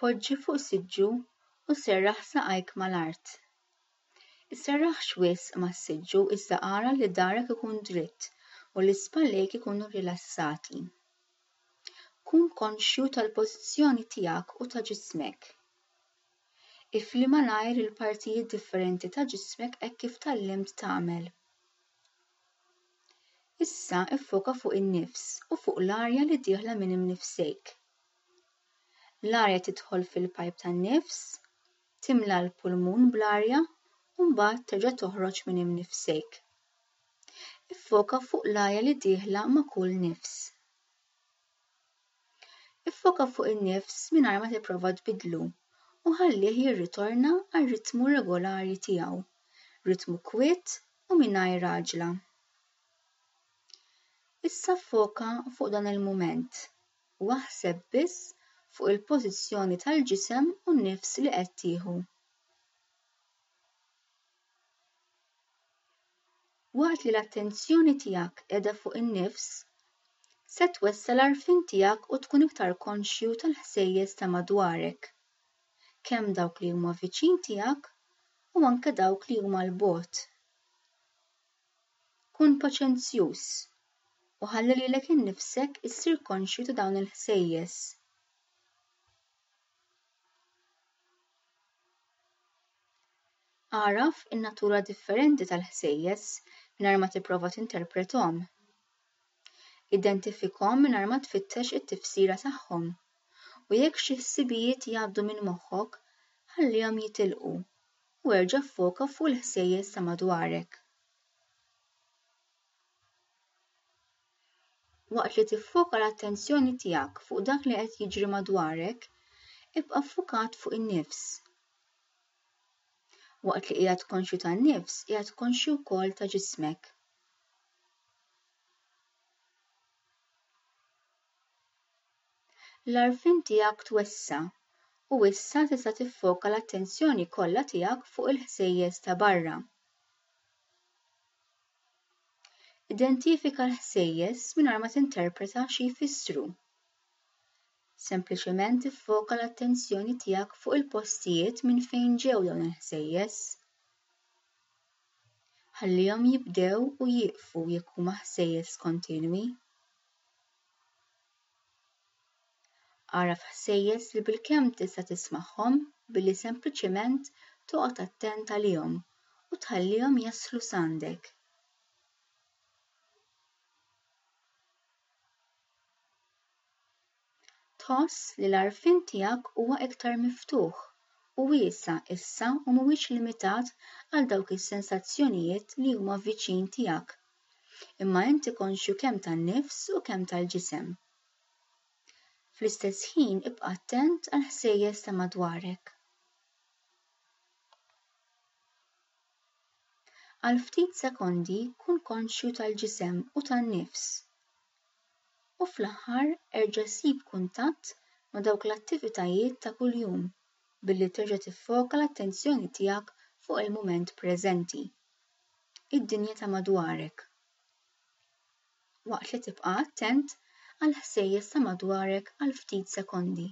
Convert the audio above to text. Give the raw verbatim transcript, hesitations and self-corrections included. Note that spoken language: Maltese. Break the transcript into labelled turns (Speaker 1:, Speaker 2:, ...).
Speaker 1: Poġġi fuq siġġu u serraħ saqajk mal-art. Isserraħx wisq mas-siġġu iżda ara li darek ikun dritt u li spallejk ikunu rilassati. Kun konxju tal-pożizzjoni tiegħek u ta' ġismek. Ifli malajr il-partijiet differenti ta' ġismek hekk kif tgħallimt tagħmel. Issa iffoka fuq in-nifs u fuq l-arja li dieħla minn imnifsejk. L-arja tidħol fil-pajp tan-nifs, timla l-pulmun bl-arja u mbagħad terġa' toħroġ minn imnifsejk. Iffoka fuq l-arja li dieħla ma' kull nifs. Iffoka fuq in-nifs mingħajr ma tipprova tbiddlu u ħallih jirritorna għar-ritmu regolari tiegħu, ritmu kwiet u mingħajr għaġla. Issa ffoka fuq dan il-mument u aħseb biss fuq il-pożizzjoni tal-ġisem u n-nifs li qed tieħu. Waqt li l-attenzjoni tiegħek qiegħda fuq in-nifs, se twessa' l-għarfien tiegħek u tkun iktar konxju tal-ħsejjes ta' madwarek, kemm dawk li huma viċin tiegħek u anke dawk li huma 'l bogħod. Kun paċenzjuż u ħalli lilek innifsek issir konxju ta' dawn il-ħsejjes. Agħraf in-natura differenti tal-ħsejjes mingħajr ma tipprova tinterprethom. Identifikhom mingħajr ma tfittex it-tifsira tagħhom u jekk xi ħsibijiet jgħaddu minn moħħok, ħallihom jitilqu u erġa' ffoka fuq il-ħsejjes ta' madwarek. Waqt li tiffoka l-attenzjoni tiegħek fuq dak li qed jiġri madwarek, ibqa' ffukat fuq in-nifs. Waqt li qiegħed konxju tan-nifs, qiegħed konxju wkoll ta' ġismek. L-għarfien tiegħek twessa' u issa tista' tiffoka l-attenzjoni kollha tiegħek fuq il-ħsejjes ta' barra. Identifika l-ħsejjes mingħajr ma tinterpreta xi jfissru. Sempliċement iffoka l-attenzjoni tiegħek fuq il-postijiet minn fejn ġew dawn il-ħsejjes. Ħallihom jibdew u jieqfu jekk huma ħsejjes kontinwi. Agħraf ħsejjes li bilkemm tista' tismagħhom billi sempliċement toqgħod attent għalihom u tħallihom jaslu s'għandek. Tħoss li l-għarfien tiegħek huwa iktar miftuħ u wiesa' issa u mhuwiex limitat għal dawk is-sensazzjonijiet li huma viċin tiegħek, imma inti konxju kemm tan-nifs u kemm tal-ġisem. Fl-istess ħin ibqa' attent għall-ħsejjes ta' madwarek. Għal ftit sekondi kun konxju tal-ġisem u tan-nifs. U fl-aħħar erġa' sib kuntatt ma' dawk l-attivitajiet ta' kuljum billi terġa' tiffoka l-attenzjoni tiegħek fuq il-mument preżenti, id-dinja ta' madwarek, waqt li tibqa' attent għall-ħsejjes ta' madwarek għal ftit sekondi.